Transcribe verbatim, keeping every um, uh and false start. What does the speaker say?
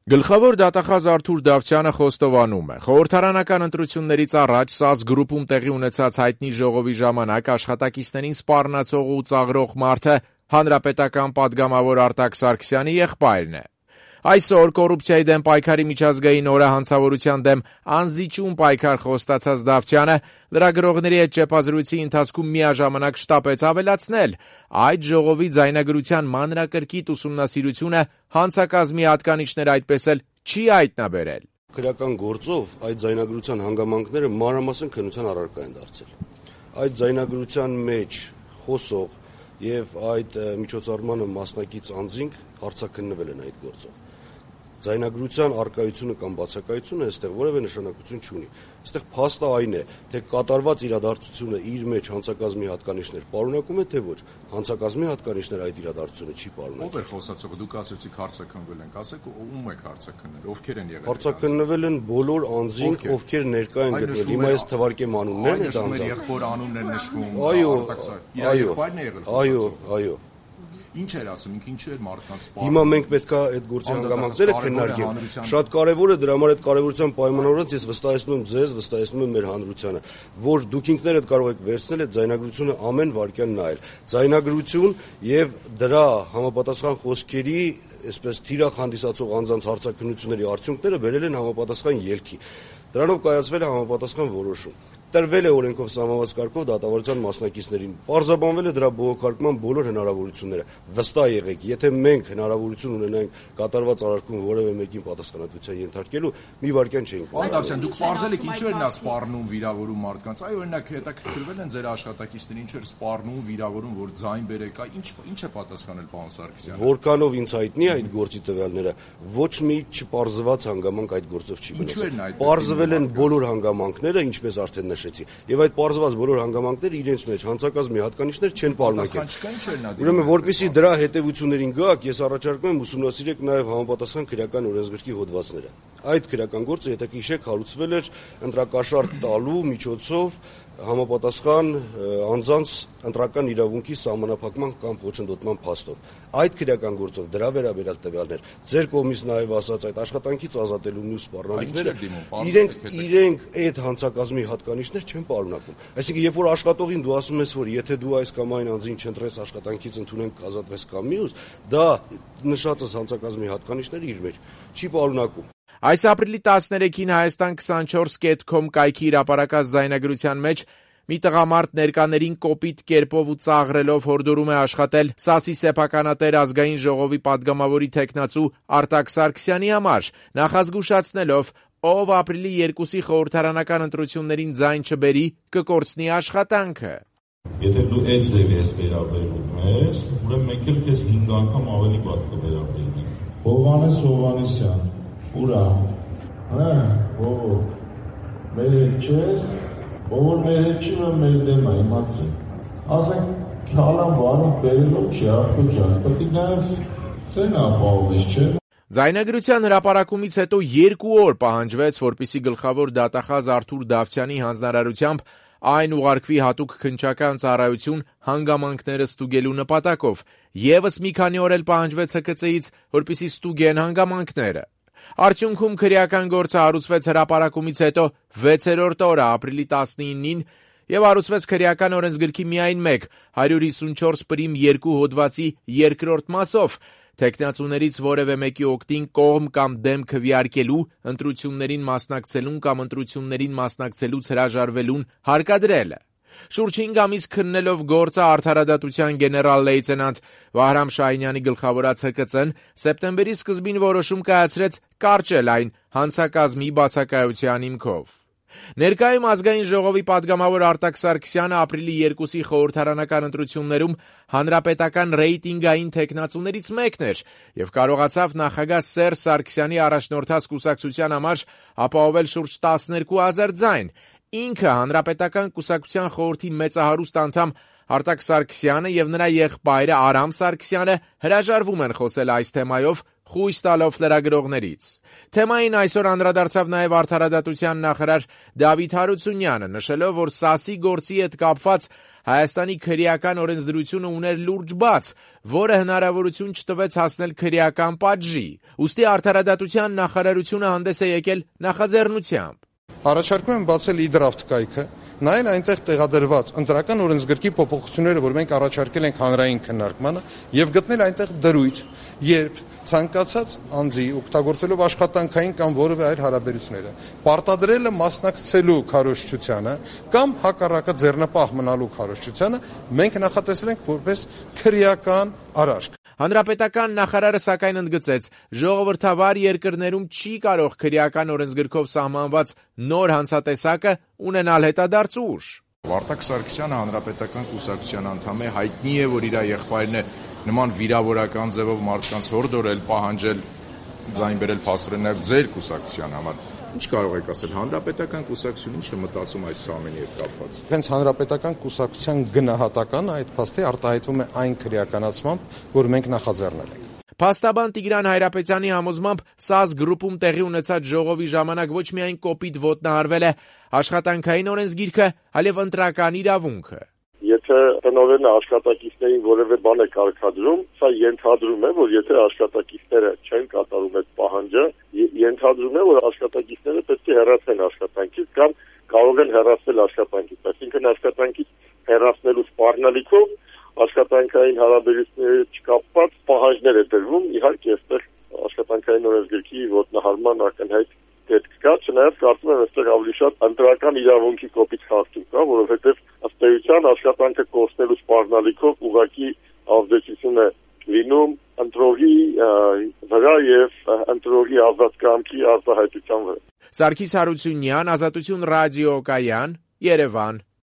Գլխավոր դատախազ Արթուր Դավթյանը խոստովանում է. խորհրդարանական ընտրություններից առաջ ՍԱԶ գրուպում տեղի ունեցած հայտնի ժողովի ժամանակ աշխատակիցներին սպառնացող ու ծաղրող մարդը հանրապետական պատգամավոր Արտակ Սարգսյանի եղբայրն է։ Այսօր կոռուպցիայի դեմ պայքարի միջազգային օրը հանցավորության դեմ անզիջում պայքար խոստացած Դավթյանը լրագրողների հետ ճեպազրույցի ընթացքում միաժամանակ շտապեց ավելացնել. այդ ժողովի ձայնագրության մանրակրկիտ ուսումնասիրությունը հանցակազմի հատկանիշներ այդպես էլ չի հայտնաբերել։ Քրեական գործով այդ ձայնագրության հանգամանքները մանրամասն քննության առարկա են դարձել։ Այդ ձայնագրության մեջ խոսող եւ այդ միջոցառմանը մասնակից անձինք հարցաքննվել են այդ գործով։ Ձայնագրության արկայությունը կամ բացակայությունը այստեղ որևէ նշանակություն չունի։ Այստեղ փաստը այն է, թե կատարված իրադարձությունը իր մեջ հանցակազմի հատկանիշներ պարունակում է, թե ոչ։ Հանցակազմի հատկանիշներ այդ իրադարձությունը չի պարունակում։ Ո՞վ է խոսացողը, դուք ասեցիք հարցաքննվել ենք, ասեք ում եք հարցաքննել, ովքեր են եղել։ Հարցաքննվել են բոլոր անձինք, ովքեր ներկա են գտնվել։ Հիմա ես թվարկեմ անուններն այդ անձանց։ Եղբոր անուններ նշվում։ Այո, այո, այո, այո։ Ինչ էր ասում, ինքը ինչու էր մարդկանց սպառնում։ Հիմա մենք պետք է այդ գործի հանգամանքները քննարկենք։ Շատ կարևոր է, դրա համար այդ կարևորության պայմանավորված ես վստահեցնում եմ ձեզ, վստահեցնում եմ մեր հանրությանը, որ դուք ինքներդ կարող եք վերցնել այդ ձայնագրությունը ամեն վայրկյան նայել։ Ձայնագրություն եւ դրա համապատասխան խոսքերի այսպես թիրախ հանդիսացող անձանց հարցաքննությունների արդյունքները բերել են համապատասխան ելքի։ Դրանով կայացվել է համապատասխան որոշում։ Տրվել է օրենքով սահմանված կարգով դատավարության մասնակիցներին։ Պարզաբանվել է դրա բողոքարկման բոլոր հնարավորությունները։ Վստահ եղեք, եթե մենք հնարավորություն ունենայինք կատարված արարքում որևէ մեկին պատասխանատվության ենթարկելու, մի վայրկյան չէինք։ Պարոն Դավթյան, դուք պարզել եք ինչու էր նա սպառնում, վիրավորում մարդկանց։ Այ օրինակ հետաքրքրվել են ձեր աշխատակիցներին, ինչու էր սպառնում, վիրավորում, որ ձայն բերեք, ինչ ինչ է պատասխանել պարոն Սարգսյանը։ Որքանով ինձ հայտնի է այդ գործի տվյալները, ոչ մի չպարզված հանգամանք այդ գործով չի մնացել։ Պարզվել են բոլոր հանգամանքները, ինչպես արդեն նշեցի, եւ այդ պարզված բոլոր հանգամանքները իրենց մեջ հանցակազմի հատկանիշներ չեն պարունակել։ Ուրեմն, որպեսզի դրա հետևություններին գաք, ես առաջարկում եմ ուսումնասիրեք նաեւ համապատասխան քրեական օրենսգրքի հոդվածները։ Այդ քրեական գործը, եթե հիշեք, հարուցվել էր ընտրակաշարք տալու միջոցով համապատասխան անձանց ընտրական իրավունքի սահմանափակման կամ ոչնդոտման փաստով։ Այդ քրեական գործով դրա վերաբերյալ տվյալներ, ձեր կողմից նաև ասած այդ աշխատանքից ազատելու մյուս սպառնալիքները, իրենք իրենք այդ հանցակազմի հատկանիշներ չեն պարունակում։ Այսինքն, երբ որ աշխատողին դու ասում ես, որ եթե դու այս կամ այն անձին չընտրես աշխատանքից ընդունենք ազատվես կամ մյուս, դա նշածս հանցակազմի հատկանիշները իր մեջ չի պարունակում։ Այս ապրիլի տասներեքին Հայաստան քսանչորս կետ քոմ կայքի հրապարակած ձայնագրության մեջ մի տղամարդ ներկաներին կոպիտ կերպով ու ծաղրելով հորդորում է աշխատել ՍԱՍ-ի սեփականատեր ազգային ժողովի պատգամավորի թեկնածու Արտակ Սարգսյանի համար, նախազգուշացնելով, ով ապրիլի երկուսի խորհրդարանական ընտրություններին ձայն չբերի, կկորցնի աշխատանքը։ Եթե դու այդ ձև ես վերաբերվում ես, ուրեմն մենք էլ քեզ հինգ անգամ ավելի բաց կվերաբերվենք։ Հովհաննես Հովհաննեսյան, ուրա, հա, ո՞վ, մեր հետ չես, ով մեր հետ չի, որ մեր դեմ է, իմացեք։ Ասենք, քալան վարին բերելով չի, աղբո ջան, պետք է նայես, ցեն ապահովես, չէ՞։ Ձայնագրության հրապարակումից հետո երկու օր պահանջվեց, որպեսզի գլխավոր դատախազ Արթուր Դավթյանի հանձնարարությամբ այն ուղարկվի հատուկ քննչական ծառայություն հանգամանքները ստուգելու նպատակով, եւս մի քանի օր էլ պահանջվեց Հ Ք Ծ-ից, որպեսզի ստուգեն հանգամանքները։ Արդյունքում քրեական գործը հարուցվեց հրապարակումից հետո վեցերորդ օրը ապրիլի տասնինին եւ հարուցվեց քրեական օրենսգրքի միայն մեկ հարյուր հիսունչորս պրիմ երկու հոդվածի երկրորդ մասով, թեկնածուներից որևէ մեկի օգտին կողմ կամ դեմ քվեարկելու, ընտրություններին մասնակցելուն կամ ընտրություններին մասնակցելուց հրաժարվելուն հարկադրելը։ Շուրջ հինգ ամիս քննելով գործը արդարադատության գեներալ-լեյտենանտ Վահրամ Շահինյանի գլխավորած Հ Կ Ծ-ն սեպտեմբերի սկզբին որոշում կայացրեց կարճել այն հանցակազմի բացակայության հիմքով։ Ներկայում ազգային ժողովի պատգամավոր Արտակ Սարգսյանը ապրիլի երկուսի խորհրդարանական ընտրություններում հանրապետական ռեյտինգային թեկնածուներից մեկն էր եւ կարողացավ նախագահ Սերժ Սարգսյանի առաջնորդած կուսակցության համար ապահովել շուրջ տասներկու հազար ձայն։ Ինքը հանրապետական կուսակցության խորհրդի մեծահարուստ անդամ Արտակ Սարգսյանը եւ նրա եղբայրը Արամ Սարգսյանը հրաժարվում են խոսել այս թեմայով, խույս տալով լրագրողներից։ Թեմային այսօր անդրադարձավ նաև արդարադատության նախարար Դավիթ Հարությունյանը, նշելով, որ ՍԱՍ-ի գործի հետ կապված Հայաստանի քրեական օրենսդրությունը ուներ լուրջ բաց, որը հնարավորություն չտվեց հասնել քրեական պատժի, ուստի Արդարադատության նախարարությունը հանդես է եկել նախաձեռնությամբ. Առաջարկում եմ բացել e-draft կայքը, նայել այնտեղ տեղադրված ընտրական օրենսգրքի փոփոխությունները, որ մենք առաջարկել ենք հանրային քննարկմանը, եւ գտնել այնտեղ դրույթ, երբ ցանկացած անձի օգտագործելով աշխատանքային կամ որևէ այլ հարաբերությունները, պարտադրելը մասնակցելու քարոզչությանը կամ հակառակը ձեռնպահ մնալու քարոզչությանը, մենք նախատեսել ենք որպես քրեական արարք։ Հանրապետական նախարարը սակայն ընդգծեց, ժողովրդավար երկրներում չի կարող քրեական օրենսգրքով սահմանված նոր հանցատեսակը ունենալ հետադարձ ուժ։ Վարդակ Սարգսյանը հանրապետական կուսակցության անդամ է, հայտնի է, որ իր եղբայրն է նման վիրավորական ձևով մարդկանց հորդորել, պահանջել, ձայն բերել փաստորեն նաև ձեր կուսակցության համար։ Ինչ կարող եք ասել, հանրապետական կուսակցությունը ինչ է մտածում այս ամենի հետ կապված։ Հենց հանրապետական կուսակցության գնահատականը այդ փաստի արտահայտվում է այն քրեականացմամբ, որ մենք նախաձեռնել ենք։ Փաստաբան Տիգրան Հայրապետյանի համոզմամբ ՍԱԶ գրուպում տեղի ունեցած ժողովի ժամանակ ոչ միայն կոպիտ ոտնահարվել է աշխատանքային օրենսգիրքը, այլև ընտրական իրավունքը։ Եթե տնօրենը աշխատակիցներին որևէ բան է կարգադրում, սա ենթադրում է, որ եթե աշխատակիցները չեն կատարում այդ պահանջը, ենթադրում է, որ աշխատակիցները պետք է հեռացեն աշխատանքից կամ կարող են հեռացնել աշխատանքից, այսինքն աշխատանքից հեռացնելու սպառնալիքով աշխատանքային հարաբերությունների չկապված պահանջներ է դրվում, իհարկե այստեղ աշխատանքային օրենսգրքի ոտնահարման ակնհայտ դեպք կա, չնայած կարծում եմ այստեղ ավելի շատ ընտրական իրավունքի կոպիտ խախտում կա, որովհետև ըստ էության աշխատանքը կորցնելու սպառնալիքով ուղղակի ազդեցություն է լինում ընտրողի վրա եւ ընտրողի ազատ կամքի արտահայտության վրա։ Սարգիս Հարությունյան, Ազատություն ռադիոկայան, Երևան։